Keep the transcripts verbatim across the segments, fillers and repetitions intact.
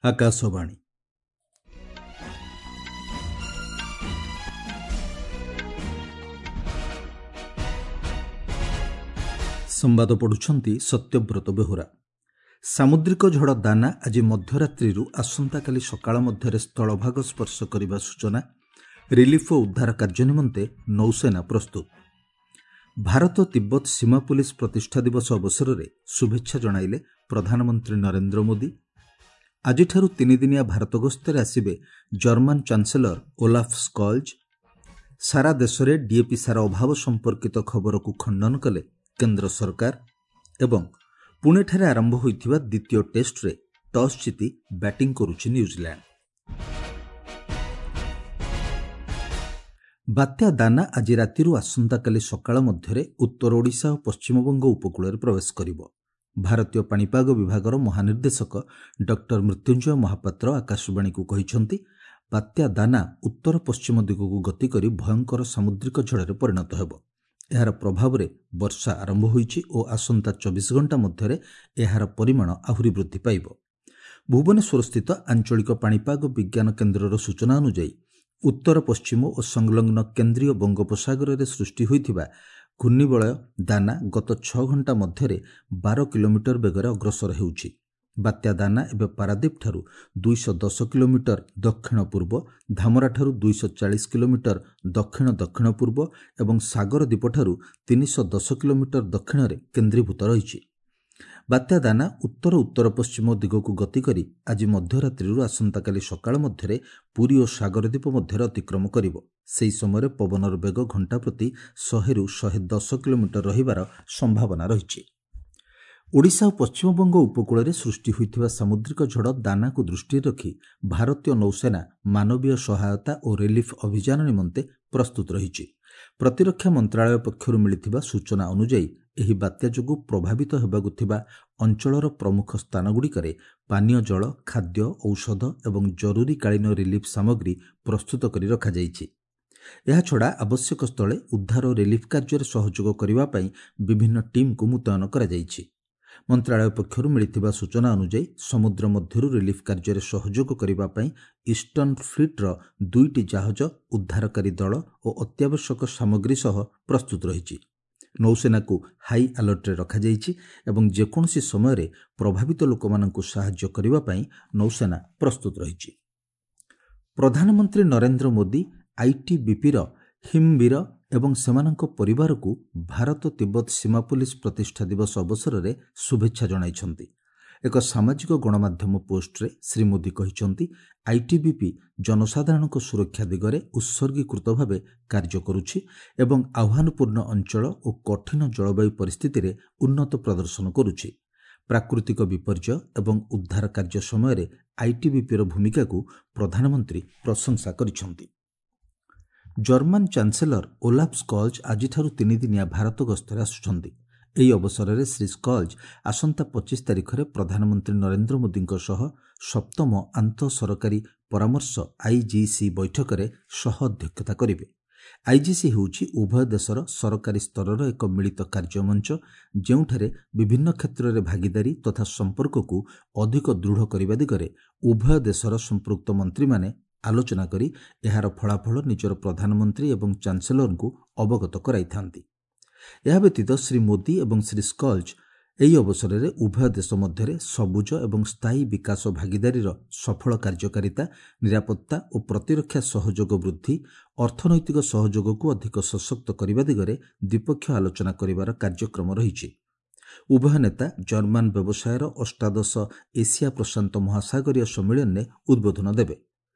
ଆକାଶବାଣୀ। ସମ୍ବାଦ ପଢ଼ୁଛନ୍ତି ସତ୍ୟବ୍ରତ ବେହୁରା। ସାମୁଦ୍ରିକ ଝଡ଼ ଦାନା ଆଜି ମଧ୍ୟରାତ୍ରିରୁ ଆସନ୍ତାକାଲି ସକାଳ ମଧ୍ୟରେ ସ୍ଥଳଭାଗ ସ୍ପର୍ଶ କରିବା ସୂଚନା। ରିଲିଫ୍ ଓ ଉଦ୍ଧାର କାର୍ଯ୍ୟ ନିମନ୍ତେ ନୌସେନା ପ୍ରସ୍ତୁତ। ଭାରତ ତିବ୍ବତ ସୀମା ପୁଲିସ ପ୍ରତିଷ୍ଠା ଦିବସ ଅବସରରେ ଶୁଭେଚ୍ଛା ଜଣାଇଲେ ପ୍ରଧାନମନ୍ତ୍ରୀ ନରେନ୍ଦ୍ର ମୋଦି। ଆଜିଠାରୁ ତିନିଦିନିଆ ଭାରତ ଗସ୍ତରେ ଆସିବେ ଜର୍ମାନ ଚାନ୍ସେଲର ଓଲାଫ୍ ସ୍କଲ୍ଜ। ସାରା ଦେଶରେ ଡିଏପି ସାର ଅଭାବ ସମ୍ପର୍କିତ ଖବରକୁ ଖଣ୍ଡନ କଲେ କେନ୍ଦ୍ର ସରକାର। ଏବଂ ପୁଣେଠାରେ ଆରମ୍ଭ ହୋଇଥିବା ଦ୍ୱିତୀୟ ଟେଷ୍ଟରେ ଟସ୍ ଜିତି ବ୍ୟାଟିଂ କରୁଛି ନ୍ୟୁଜିଲ୍ୟାଣ୍ଡ। ବାତ୍ୟା ଦାନା ଆଜି ରାତିରୁ ଆସନ୍ତାକାଲି ସକାଳ ମଧ୍ୟରେ ଉତ୍ତର ଓଡ଼ିଶା ଓ ପଶ୍ଚିମବଙ୍ଗ ଉପକୂଳରେ ପ୍ରବେଶ କରିବ। ଭାରତୀୟ ପାଣିପାଗ ବିଭାଗର ମହାନିର୍ଦ୍ଦେଶକ ଡକ୍ଟର ମୃତ୍ୟୁଞ୍ଜୟ ମହାପାତ୍ର ଆକାଶବାଣୀକୁ କହିଛନ୍ତି, ବାତ୍ୟା ଦାନା ଉତ୍ତର ପଶ୍ଚିମ ଦିଗକୁ ଗତି କରି ଭୟଙ୍କର ସାମୁଦ୍ରିକ ଝଡ଼ରେ ପରିଣତ ହେବ। ଏହାର ପ୍ରଭାବରେ ବର୍ଷା ଆରମ୍ଭ ହୋଇଛି ଓ ଆସନ୍ତା ଚବିଶ ଘଣ୍ଟା ମଧ୍ୟରେ ଏହାର ପରିମାଣ ଆହୁରି ବୃଦ୍ଧି ପାଇବ। ଭୁବନେଶ୍ୱରସ୍ଥିତ ଆଞ୍ଚଳିକ ପାଣିପାଗ ବିଜ୍ଞାନ କେନ୍ଦ୍ରର ସୂଚନା ଅନୁଯାୟୀ ଉତ୍ତର ପଶ୍ଚିମ ଓ ସଂଲଗ୍ନ କେନ୍ଦ୍ରୀୟ ବଙ୍ଗୋପସାଗରରେ ସୃଷ୍ଟି ହୋଇଥିବା ଘୂର୍ଣ୍ଣିବଳୟ ଦାନା ଗତ ଛଅ ଘଣ୍ଟା ମଧ୍ୟରେ ବାର କିଲୋମିଟର ବେଗରେ ଅଗ୍ରସର ହେଉଛି। ବାତ୍ୟା ଦାନା ଏବେ ପାରାଦୀପଠାରୁ ଦୁଇଶହ ଦଶ କିଲୋମିଟର ଦକ୍ଷିଣ ପୂର୍ବ, ଧାମରାଠାରୁ ଦୁଇଶହ ଚାଳିଶ କିଲୋମିଟର ଦକ୍ଷିଣ ଦକ୍ଷିଣ ପୂର୍ବ ଏବଂ ସାଗର ଦ୍ୱୀପଠାରୁ ତିନିଶହ ଦଶ କିଲୋମିଟର ଦକ୍ଷିଣରେ କେନ୍ଦ୍ରୀଭୂତ ରହିଛି। ବାତ୍ୟା ଦାନା ଉତ୍ତର ଉତ୍ତର ପଶ୍ଚିମ ଦିଗକୁ ଗତି କରି ଆଜି ମଧ୍ୟରାତ୍ରିରୁ ଆସନ୍ତାକାଲି ସକାଳ ମଧ୍ୟରେ ପୁରୀ ଓ ସାଗରଦ୍ୱୀପ ମଧ୍ୟରେ ଅତିକ୍ରମ କରିବ। ସେହି ସମୟରେ ପବନର ବେଗ ଘଣ୍ଟା ପ୍ରତି ଶହେରୁ ଶହେ ଦଶ କିଲୋମିଟର ରହିବାର ସମ୍ଭାବନା ରହିଛି। ଓଡ଼ିଶା ଓ ପଶ୍ଚିମବଙ୍ଗ ଉପକୂଳରେ ସୃଷ୍ଟି ହୋଇଥିବା ସାମୁଦ୍ରିକ ଝଡ଼ ଦାନାକୁ ଦୃଷ୍ଟିରେ ରଖି ଭାରତୀୟ ନୌସେନା ମାନବୀୟ ସହାୟତା ଓ ରିଲିଫ୍ ଅଭିଯାନ ନିମନ୍ତେ ପ୍ରସ୍ତୁତ ରହିଛି। ପ୍ରତିରକ୍ଷା ମନ୍ତ୍ରାଳୟ ପକ୍ଷରୁ ମିଳିଥିବା ସୂଚନା ଅନୁଯାୟୀ ଏହି ବାତ୍ୟା ଯୋଗୁଁ ପ୍ରଭାବିତ ହେବାକୁ ଥିବା ଅଞ୍ଚଳର ପ୍ରମୁଖ ସ୍ଥାନଗୁଡ଼ିକରେ ପାନୀୟ ଜଳ, ଖାଦ୍ୟ, ଔଷଧ ଏବଂ ଜରୁରୀକାଳୀନ ରିଲିଫ୍ ସାମଗ୍ରୀ ପ୍ରସ୍ତୁତ କରି ରଖାଯାଇଛି। ଏହାଛଡ଼ା ଆବଶ୍ୟକ ସ୍ଥଳେ ଉଦ୍ଧାର ଓ ରିଲିଫ୍ କାର୍ଯ୍ୟରେ ସହଯୋଗ କରିବା ପାଇଁ ବିଭିନ୍ନ ଟିମ୍କୁ ମୁତୟନ କରାଯାଇଛି। ମନ୍ତ୍ରାଳୟ ପକ୍ଷରୁ ମିଳିଥିବା ସୂଚନା ଅନୁଯାୟୀ ସମୁଦ୍ର ମଧ୍ୟରୁ ରିଲିଫ୍ କାର୍ଯ୍ୟରେ ସହଯୋଗ କରିବା ପାଇଁ ଇଷ୍ଟର୍ଣ୍ଣ ଫ୍ଲିଟ୍ର ଦୁଇଟି ଜାହାଜ, ଉଦ୍ଧାରକାରୀ ଦଳ ଓ ଅତ୍ୟାବଶ୍ୟକ ସାମଗ୍ରୀ ସହ ପ୍ରସ୍ତୁତ ରହିଛି। ନୌସେନାକୁ ହାଇ ଆଲର୍ଟରେ ରଖାଯାଇଛି ଏବଂ ଯେକୌଣସି ସମୟରେ ପ୍ରଭାବିତ ଲୋକମାନଙ୍କୁ ସାହାଯ୍ୟ କରିବା ପାଇଁ ନୌସେନା ପ୍ରସ୍ତୁତ ରହିଛି। ପ୍ରଧାନମନ୍ତ୍ରୀ ନରେନ୍ଦ୍ର ମୋଦି ଆଇଟିବିପିର ହିମବୀର ଏବଂ ସେମାନଙ୍କ ପରିବାରକୁ ଭାରତ ତିବ୍ବତ ସୀମା ପୁଲିସ ପ୍ରତିଷ୍ଠା ଦିବସ ଅବସରରେ ଶୁଭେଚ୍ଛା ଜଣାଇଛନ୍ତି। ଏକ ସାମାଜିକ ଗଣମାଧ୍ୟମ ପୋଷ୍ଟରେ ଶ୍ରୀ ମୋଦି କହିଛନ୍ତି, ଆଇଟିବିପି ଜନସାଧାରଣଙ୍କ ସୁରକ୍ଷା ଦିଗରେ ଉତ୍ସର୍ଗୀକୃତ ଭାବେ କାର୍ଯ୍ୟ କରୁଛି ଏବଂ ଆହ୍ୱାନପୂର୍ଣ୍ଣ ଅଞ୍ଚଳ ଓ କଠିନ ଜଳବାୟୁ ପରିସ୍ଥିତିରେ ଉନ୍ନତ ପ୍ରଦର୍ଶନ କରୁଛି। ପ୍ରାକୃତିକ ବିପର୍ଯ୍ୟୟ ଏବଂ ଉଦ୍ଧାର କାର୍ଯ୍ୟ ସମୟରେ ଆଇଟିବିପିର ଭୂମିକାକୁ ପ୍ରଧାନମନ୍ତ୍ରୀ ପ୍ରଶଂସା କରିଛନ୍ତି। ଜର୍ମାନ ଚାନ୍ସେଲର ଓଲାଫ୍ ସ୍କଲ୍ଜ ଆଜିଠାରୁ ତିନିଦିନିଆ ଭାରତ ଗସ୍ତରେ ଆସୁଛନ୍ତି। ଏହି ଅବସରରେ ଶ୍ରୀ ସ୍କଲ୍ଜ ଆସନ୍ତା ପଚିଶ ତାରିଖରେ ପ୍ରଧାନମନ୍ତ୍ରୀ ନରେନ୍ଦ୍ର ମୋଦିଙ୍କ ସହ ସପ୍ତମ ଆନ୍ତଃ ସରକାରୀ ପରାମର୍ଶ ଆଇଜିସି ବୈଠକରେ ସହ ଅଧ୍ୟକ୍ଷତା କରିବେ। ଆଇଜିସି ହେଉଛି ଉଭୟ ଦେଶର ସରକାରୀ ସ୍ତରର ଏକ ମିଳିତ କାର୍ଯ୍ୟମଞ୍ଚ, ଯେଉଁଠାରେ ବିଭିନ୍ନ କ୍ଷେତ୍ରରେ ଭାଗିଦାରୀ ତଥା ସମ୍ପର୍କକୁ ଅଧିକ ଦୃଢ଼ କରିବା ଦିଗରେ ଉଭୟ ଦେଶର ସମ୍ପୃକ୍ତ ମନ୍ତ୍ରୀମାନେ ଆଲୋଚନା କରି ଏହାର ଫଳାଫଳ ନିଜର ପ୍ରଧାନମନ୍ତ୍ରୀ ଏବଂ ଚାନ୍ସେଲରଙ୍କୁ ଅବଗତ କରାଇଥାନ୍ତି। ଏହା ବ୍ୟତୀତ ଶ୍ରୀ ମୋଦି ଏବଂ ଶ୍ରୀ ସ୍କଲ୍ଜ ଏହି ଅବସରରେ ଉଭୟ ଦେଶ ମଧ୍ୟରେ ସବୁଜ ଏବଂ ସ୍ଥାୟୀ ବିକାଶ ଭାଗିଦାରୀର ସଫଳ କାର୍ଯ୍ୟକାରିତା, ନିରାପତ୍ତା ଓ ପ୍ରତିରକ୍ଷା ସହଯୋଗ ବୃଦ୍ଧି, ଅର୍ଥନୈତିକ ସହଯୋଗକୁ ଅଧିକ ସଶକ୍ତ କରିବା ଦିଗରେ ଦ୍ୱିପକ୍ଷୀୟ ଆଲୋଚନା କରିବାର କାର୍ଯ୍ୟକ୍ରମ ରହିଛି। ଉଭୟ ନେତା ଜର୍ମାନ ବ୍ୟବସାୟର ଅଷ୍ଟାଦଶ ଏସିଆ ପ୍ରଶାନ୍ତ ମହାସାଗରୀୟ ସମ୍ମିଳନୀରେ ଉଦ୍ବୋଧନ ଦେବେ।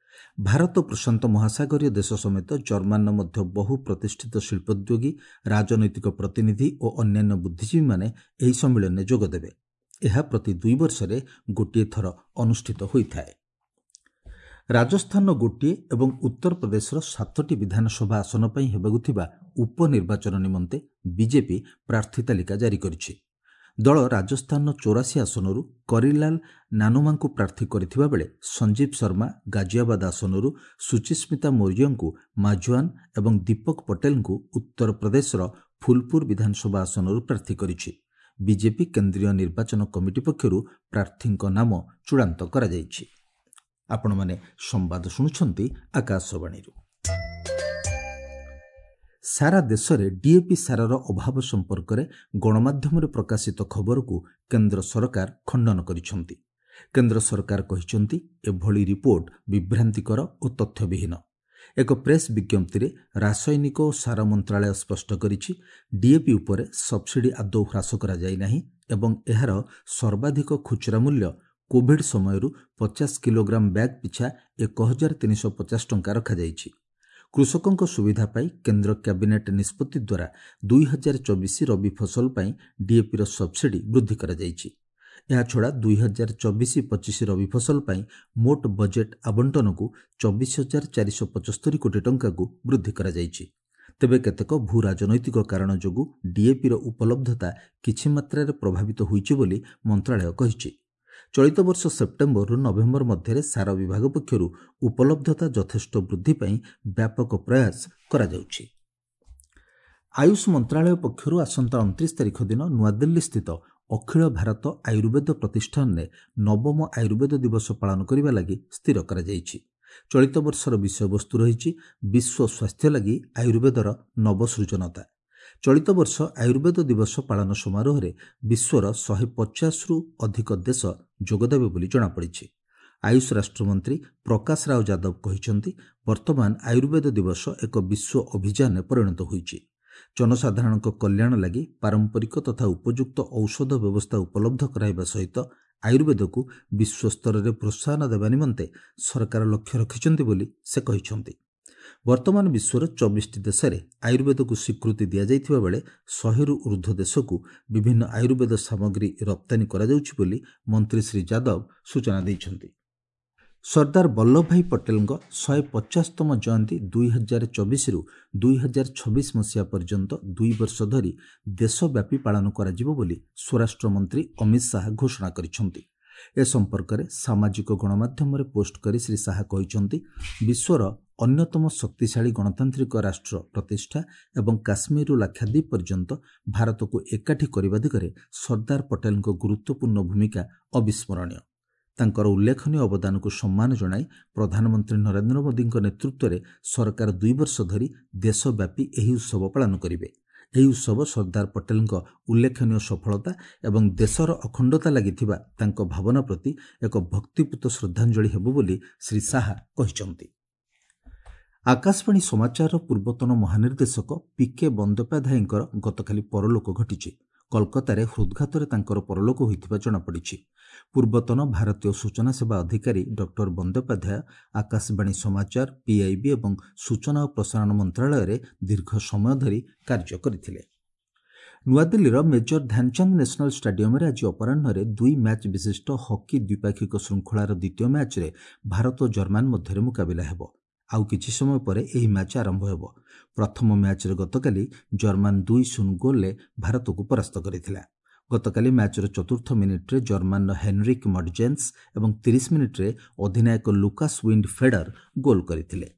ଭାରତ ପ୍ରଶାନ୍ତ ମହାସାଗରୀୟ ଦେଶ ସମେତ ଜର୍ମାନର ମଧ୍ୟ ବହୁ ପ୍ରତିଷ୍ଠିତ ଶିଳ୍ପୋଦ୍ୟୋଗୀ, ରାଜନୈତିକ ପ୍ରତିନିଧି ଓ ଅନ୍ୟାନ୍ୟ ବୁଦ୍ଧିଜୀବୀମାନେ ଏହି ସମ୍ମିଳନୀରେ ଯୋଗଦେବେ। ଏହା ପ୍ରତି ଦୁଇ ବର୍ଷରେ ଗୋଟିଏ ଥର ଅନୁଷ୍ଠିତ ହୋଇଥାଏ। ରାଜସ୍ଥାନର ଗୋଟିଏ ଏବଂ ଉତ୍ତରପ୍ରଦେଶର ସାତଟି ବିଧାନସଭା ଆସନ ପାଇଁ ହେବାକୁ ଥିବା ଉପନିର୍ବାଚନ ନିମନ୍ତେ ବିଜେପି ପ୍ରାର୍ଥୀ ତାଲିକା ଜାରି କରିଛି। ଦଳ ରାଜସ୍ଥାନର ଚଉରାଶୀ ଆସନରୁ କରିଲାଲ ନାନୁମାଙ୍କୁ ପ୍ରାର୍ଥୀ କରିଥିବା ବେଳେ ସଞ୍ଜୀବ ଶର୍ମା ଗାଜିଆବାଦ ଆସନରୁ, ସୁଚିସ୍ମିତା ମୌର୍ଯ୍ୟଙ୍କୁ ମାଜୁଆନ ଏବଂ ଦୀପକ ପଟେଲଙ୍କୁ ଉତ୍ତରପ୍ରଦେଶର ଫୁଲପୁର ବିଧାନସଭା ଆସନରୁ ପ୍ରାର୍ଥୀ କରିଛି। ବିଜେପି କେନ୍ଦ୍ରୀୟ ନିର୍ବାଚନ କମିଟି ପକ୍ଷରୁ ପ୍ରାର୍ଥୀଙ୍କ ନାମ ଚୂଡ଼ାନ୍ତ କରାଯାଇଛି। ଆପଣମାନେ ସମ୍ବାଦ ଶୁଣୁଛନ୍ତି ଆକାଶବାଣୀରୁ। ସାରା ଦେଶରେ ଡିଏପି ସାରର ଅଭାବ ସମ୍ପର୍କରେ ଗଣମାଧ୍ୟମରେ ପ୍ରକାଶିତ ଖବରକୁ କେନ୍ଦ୍ର ସରକାର ଖଣ୍ଡନ କରିଛନ୍ତି। କେନ୍ଦ୍ର ସରକାର କହିଛନ୍ତି, ଏଭଳି ରିପୋର୍ଟ ବିଭ୍ରାନ୍ତିକର ଓ ତଥ୍ୟବିହୀନ। ଏକ ପ୍ରେସ୍ ବିଜ୍ଞପ୍ତିରେ ରାସାୟନିକ ଓ ସାର ମନ୍ତ୍ରାଳୟ ସ୍ପଷ୍ଟ କରିଛି, ଡିଏପି ଉପରେ ସବସିଡି ଆଦୌ ହ୍ରାସ କରାଯାଇ ନାହିଁ ଏବଂ ଏହାର ସର୍ବାଧିକ ଖୁଚୁରା ମୂଲ୍ୟ କୋଭିଡ୍ ସମୟରୁ ପଚାଶ କିଲୋଗ୍ରାମ ବ୍ୟାଗ୍ ପିଛା ଏକ ହଜାର ତିନିଶହ ପଚାଶ ଟଙ୍କା ରଖାଯାଇଛି। କୃଷକଙ୍କ ସୁବିଧା ପାଇଁ କେନ୍ଦ୍ର କ୍ୟାବିନେଟ୍ ନିଷ୍ପତ୍ତି ଦ୍ୱାରା ଦୁଇ ହଜାର ଚବିଶ ରବି ଫସଲ ପାଇଁ ଡିଏପିର ସବସିଡି ବୃଦ୍ଧି କରାଯାଇଛି। ଏହାଛଡ଼ା ଦୁଇ ହଜାର ଚବିଶ ପଚିଶ ରବି ଫସଲ ପାଇଁ ମୋଟ ବଜେଟ୍ ଆବଣ୍ଟନକୁ ଚବିଶ ହଜାର ଚାରିଶହ ପଚସ୍ତରୀ କୋଟି ଟଙ୍କାକୁ ବୃଦ୍ଧି କରାଯାଇଛି। ତେବେ କେତେକ ଭୂ ରାଜନୈତିକ କାରଣ ଯୋଗୁଁ ଡିଏପିର ଉପଲବ୍ଧତା କିଛି ମାତ୍ରାରେ ପ୍ରଭାବିତ ହୋଇଛି ବୋଲି ମନ୍ତ୍ରାଳୟ କହିଛି। ଚଳିତ ବର୍ଷ ସେପ୍ଟେମ୍ବରରୁ ନଭେମ୍ବର ମଧ୍ୟରେ ସାର ବିଭାଗ ପକ୍ଷରୁ ଉପଲବ୍ଧତା ଯଥେଷ୍ଟ ବୃଦ୍ଧି ପାଇଁ ବ୍ୟାପକ ପ୍ରୟାସ କରାଯାଉଛି। ଆୟୁଷ ମନ୍ତ୍ରାଳୟ ପକ୍ଷରୁ ଆସନ୍ତା ଅଣତିରିଶ ତାରିଖ ଦିନ ନୂଆଦିଲ୍ଲୀସ୍ଥିତ ଅଖିଳ ଭାରତ ଆୟୁର୍ବେଦ ପ୍ରତିଷ୍ଠାନରେ ନବମ ଆୟୁର୍ବେଦ ଦିବସ ପାଳନ କରିବା ଲାଗି ସ୍ଥିର କରାଯାଇଛି। ଚଳିତ ବର୍ଷର ବିଷୟବସ୍ତୁ ରହିଛି ବିଶ୍ୱ ସ୍ୱାସ୍ଥ୍ୟ ଲାଗି ଆୟୁର୍ବେଦର ନବସୃଜନତା। ଚଳିତ ବର୍ଷ ଆୟୁର୍ବେଦ ଦିବସ ପାଳନ ସମାରୋହରେ ବିଶ୍ୱର ଶହେ ପଚାଶରୁ ଅଧିକ ଦେଶ ଯୋଗଦେବେ ବୋଲି ଜଣାପଡ଼ିଛି। ଆୟୁଷ ରାଷ୍ଟ୍ରମନ୍ତ୍ରୀ ପ୍ରକାଶ ରାଓ ଯାଦବ କହିଛନ୍ତି, ବର୍ତ୍ତମାନ ଆୟୁର୍ବେଦ ଦିବସ ଏକ ବିଶ୍ୱ ଅଭିଯାନରେ ପରିଣତ ହୋଇଛି। ଜନସାଧାରଣଙ୍କ କଲ୍ୟାଣ ଲାଗି ପାରମ୍ପରିକ ତଥା ଉପଯୁକ୍ତ ଔଷଧ ବ୍ୟବସ୍ଥା ଉପଲବ୍ଧ କରାଇବା ସହିତ ଆୟୁର୍ବେଦକୁ ବିଶ୍ୱସ୍ତରରେ ପ୍ରୋତ୍ସାହନ ଦେବା ନିମନ୍ତେ ସରକାର ଲକ୍ଷ୍ୟ ରଖିଛନ୍ତି ବୋଲି ସେ କହିଛନ୍ତି। ବର୍ତ୍ତମାନ ବିଶ୍ୱର ଚବିଶଟି ଦେଶରେ ଆୟୁର୍ବେଦକୁ ସ୍ୱୀକୃତି ଦିଆଯାଇଥିବା ବେଳେ ଶହେରୁ ଉର୍ଦ୍ଧ୍ୱ ଦେଶକୁ ବିଭିନ୍ନ ଆୟୁର୍ବେଦ ସାମଗ୍ରୀ ରପ୍ତାନୀ କରାଯାଉଛି ବୋଲି ମନ୍ତ୍ରୀ ଶ୍ରୀ ଯାଦବ ସୂଚନା ଦେଇଛନ୍ତି। ସର୍ଦ୍ଦାର ବଲ୍ଲଭଭାଇ ପଟେଲଙ୍କ ଶହେ ପଚାଶତମ ଜୟନ୍ତୀ ଦୁଇ ହଜାର ଚବିଶରୁ ଦୁଇ ହଜାର ଛବିଶ ମସିହା ପର୍ଯ୍ୟନ୍ତ ଦୁଇ ବର୍ଷ ଧରି ଦେଶବ୍ୟାପୀ ପାଳନ କରାଯିବ ବୋଲି ସ୍ୱରାଷ୍ଟ୍ରମନ୍ତ୍ରୀ ଅମିତ ଶାହା ଘୋଷଣା କରିଛନ୍ତି। ଏ ସମ୍ପର୍କରେ ସାମାଜିକ ଗଣମାଧ୍ୟମରେ ପୋଷ୍ଟ କରି ଶ୍ରୀ ଶାହା କହିଛନ୍ତି, ବିଶ୍ୱର ଅନ୍ୟତମ ଶକ୍ତିଶାଳୀ ଗଣତାନ୍ତ୍ରିକ ରାଷ୍ଟ୍ର ପ୍ରତିଷ୍ଠା ଏବଂ କାଶ୍ମୀରରୁ ଲାକ୍ଷାଦ୍ୱୀପ ପର୍ଯ୍ୟନ୍ତ ଭାରତକୁ ଏକାଠି କରିବା ଦିଗରେ ସର୍ଦ୍ଦାର ପଟେଲଙ୍କ ଗୁରୁତ୍ୱପୂର୍ଣ୍ଣ ଭୂମିକା ଅବିସ୍ମରଣୀୟ। ତାଙ୍କର ଉଲ୍ଲେଖନୀୟ ଅବଦାନକୁ ସମ୍ମାନ ଜଣାଇ ପ୍ରଧାନମନ୍ତ୍ରୀ ନରେନ୍ଦ୍ର ମୋଦିଙ୍କ ନେତୃତ୍ୱରେ ସରକାର ଦୁଇ ବର୍ଷ ଧରି ଦେଶବ୍ୟାପୀ ଏହି ଉତ୍ସବ ପାଳନ କରିବେ। ଏହି ଉତ୍ସବ ସର୍ଦ୍ଦାର ପଟେଲଙ୍କ ଉଲ୍ଲେଖନୀୟ ସଫଳତା ଏବଂ ଦେଶର ଅଖଣ୍ଡତା ଲାଗି ଥିବା ତାଙ୍କ ଭାବନା ପ୍ରତି ଏକ ଭକ୍ତିପୂତ ଶ୍ରଦ୍ଧାଞ୍ଜଳି ହେବ ବୋଲି ଶ୍ରୀ ଶାହା କହିଛନ୍ତି। ଆକାଶବାଣୀ ସମାଚାରର ପୂର୍ବତନ ମହାନିର୍ଦ୍ଦେଶକ ପି କେ ବନ୍ଦୋପାଧ୍ୟାୟଙ୍କର ଗତକାଲି ପରଲୋକ ଘଟିଛି। କଲକାତାରେ ହୃଦ୍ଘାତରେ ତାଙ୍କର ପରଲୋକ ହୋଇଥିବା ଜଣାପଡ଼ିଛି। ପୂର୍ବତନ ଭାରତୀୟ ସୂଚନା ସେବା ଅଧିକାରୀ ଡକ୍ଟର ବନ୍ଦୋପାଧ୍ୟାୟ ଆକାଶବାଣୀ ସମାଚାର, ପିଆଇବି ଏବଂ ସୂଚନା ଓ ପ୍ରସାରଣ ମନ୍ତ୍ରାଳୟରେ ଦୀର୍ଘ ସମୟ ଧରି କାର୍ଯ୍ୟ କରିଥିଲେ। ନୂଆଦିଲ୍ଲୀର ମେଜର ଧ୍ୟାନଚାନ୍ଦ ନ୍ୟାସନାଲ ଷ୍ଟାଡିୟମରେ ଆଜି ଅପରାହ୍ନରେ ଦୁଇ ମ୍ୟାଚ୍ ବିଶିଷ୍ଟ ହକି ଦ୍ୱିପାକ୍ଷିକ ଶୃଙ୍ଖଳାର ଦ୍ୱିତୀୟ ମ୍ୟାଚ୍ରେ ଭାରତ ଓ ଜର୍ମାନ ମଧ୍ୟରେ ମୁକାବିଲା ହେବ। ଆଉ କିଛି ସମୟ ପରେ ଏହି ମ୍ୟାଚ୍ ଆରମ୍ଭ ହେବ। ପ୍ରଥମ ମ୍ୟାଚ୍ରେ ଗତକାଲି ଜର୍ମାନ ଦୁଇ ଶୂନ ଗୋଲ୍ରେ ଭାରତକୁ ପରାସ୍ତ କରିଥିଲା। ଗତକାଲି ମ୍ୟାଚ୍ର ଚତୁର୍ଥ ମିନିଟ୍ରେ ଜର୍ମାନର ହେନରିକ୍ ମଡଜେନ୍ସ ଏବଂ ତିରିଶ ମିନିଟ୍ରେ ଅଧିନାୟକ ଲୁକାସ୍ ୱିଣ୍ଡ ଫେଡର ଗୋଲ୍ କରିଥିଲେ।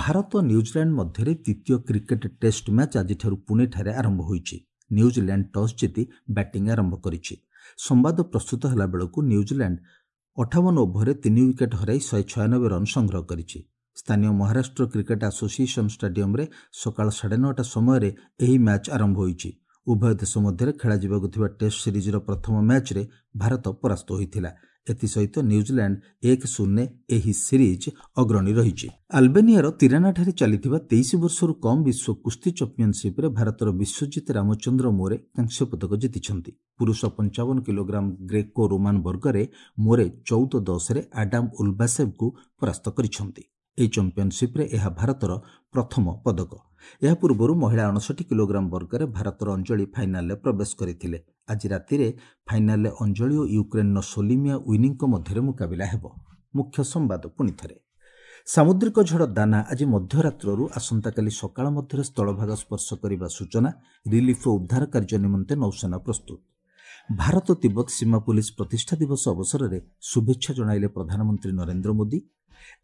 ଭାରତ ନ୍ୟୁଜିଲାଣ୍ଡ ମଧ୍ୟରେ ଦ୍ୱିତୀୟ କ୍ରିକେଟ୍ ଟେଷ୍ଟ ମ୍ୟାଚ୍ ଆଜିଠାରୁ ପୁଣେଠାରେ ଆରମ୍ଭ ହୋଇଛି। ନ୍ୟୁଜିଲାଣ୍ଡ ଟସ୍ ଜିତି ବ୍ୟାଟିଂ ଆରମ୍ଭ କରିଛି। ସମ୍ବାଦ ପ୍ରସ୍ତୁତ ହେଲା ବେଳକୁ ନ୍ୟୁଜିଲାଣ୍ଡ ଅଠାବନ ଓଭରରେ ତିନି ୱିକେଟ୍ ହରାଇ ଶହେ ଛୟାନବେ ରନ୍ ସଂଗ୍ରହ କରିଛି। ସ୍ଥାନୀୟ ମହାରାଷ୍ଟ୍ର କ୍ରିକେଟ୍ ଆସୋସିଏସନ୍ ଷ୍ଟାଡିୟମରେ ସକାଳ ସାଢ଼େ ନଅଟା ସମୟରେ ଏହି ମ୍ୟାଚ୍ ଆରମ୍ଭ ହୋଇଛି। ଉଭୟ ଦେଶ ମଧ୍ୟରେ ଖେଳାଯିବାକୁ ଥିବା ଟେଷ୍ଟ ସିରିଜ୍ର ପ୍ରଥମ ମ୍ୟାଚ୍ରେ ଭାରତ ପରାସ୍ତ ହୋଇଥିଲା। ଏଥିସହିତ ନ୍ୟୁଜିଲାଣ୍ଡ ଏକ ଶୂନ୍ୟ ଏହି ସିରିଜ୍ ଅଗ୍ରଣୀ ରହିଛି। ଆଲବେନିଆର ତିରାନାଠାରେ ଚାଲିଥିବା ତେଇଶ ବର୍ଷରୁ କମ୍ ବିଶ୍ୱ କୁସ୍ତି ଚାମ୍ପିଅନସିପ୍ରେ ଭାରତର ବିଶ୍ୱଜିତ ରାମଚନ୍ଦ୍ର ମୋରେ କାଂସ୍ୟ ପଦକ ଜିତିଛନ୍ତି। ପୁରୁଷ ପଞ୍ଚାବନ କିଲୋଗ୍ରାମ ଗ୍ରେକୋ ରୋମାନ ବର୍ଗରେ ମୋରେ ଚଉଦ ଦଶରେ ଆଡାମ ଉଲବାସେଭଙ୍କୁ ପରାସ୍ତ କରିଛନ୍ତି। ଏହି ଚାମ୍ପିଅନସିପ୍ରେ ଏହା ଭାରତର ପ୍ରଥମ ପଦକ। ଏହା ପୂର୍ବରୁ ମହିଳା ଅଣଷଠି କିଲୋଗ୍ରାମ ବର୍ଗରେ ଭାରତର ଅଞ୍ଜଳି ଫାଇନାଲରେ ପ୍ରବେଶ କରିଥିଲେ। ଆଜି ରାତିରେ ଫାଇନାଲରେ ଅଞ୍ଜଳି ଓ ୟୁକ୍ରେନ୍ର ସୋଲିମିଆ ୱିନିଙ୍କ ମଧ୍ୟରେ ମୁକାବିଲା ହେବ। ମୁଖ୍ୟ ସମ୍ବାଦ ପୁଣିଥରେ। ସାମୁଦ୍ରିକ ଝଡ଼ ଦାନା ଆଜି ମଧ୍ୟରାତ୍ରରୁ ଆସନ୍ତାକାଲି ସକାଳ ମଧ୍ୟରେ ସ୍ଥଳଭାଗ ସ୍ପର୍ଶ କରିବା ସୂଚନା। ରିଲିଫ୍ ଓ ଉଦ୍ଧାର କାର୍ଯ୍ୟ ନିମନ୍ତେ ନୌସେନା ପ୍ରସ୍ତୁତ। ଭାରତ ତିବ୍ବତ ସୀମା ପୋଲିସ ପ୍ରତିଷ୍ଠା ଦିବସ ଅବସରରେ ଶୁଭେଚ୍ଛା ଜଣାଇଲେ ପ୍ରଧାନମନ୍ତ୍ରୀ ନରେନ୍ଦ୍ର ମୋଦି।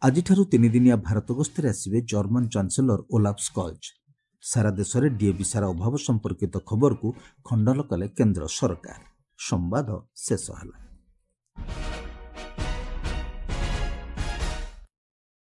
ଆଜିଠାରୁ ତିନିଦିନିଆ ଭାରତ ଗସ୍ତରେ ଆସିବେ ଜର୍ମାନ ଚାନ୍ସେଲର ଓଲାଫ ସ୍କଲ୍ଜ। ସାରା ଦେଶରେ ଡିଏପି ସାର ଅଭାବ ସମ୍ପର୍କିତ ଖବରକୁ ଖଣ୍ଡନ କଲେ କେନ୍ଦ୍ର ସରକାର। ସମ୍ବାଦ ଶେଷ ହେଲା।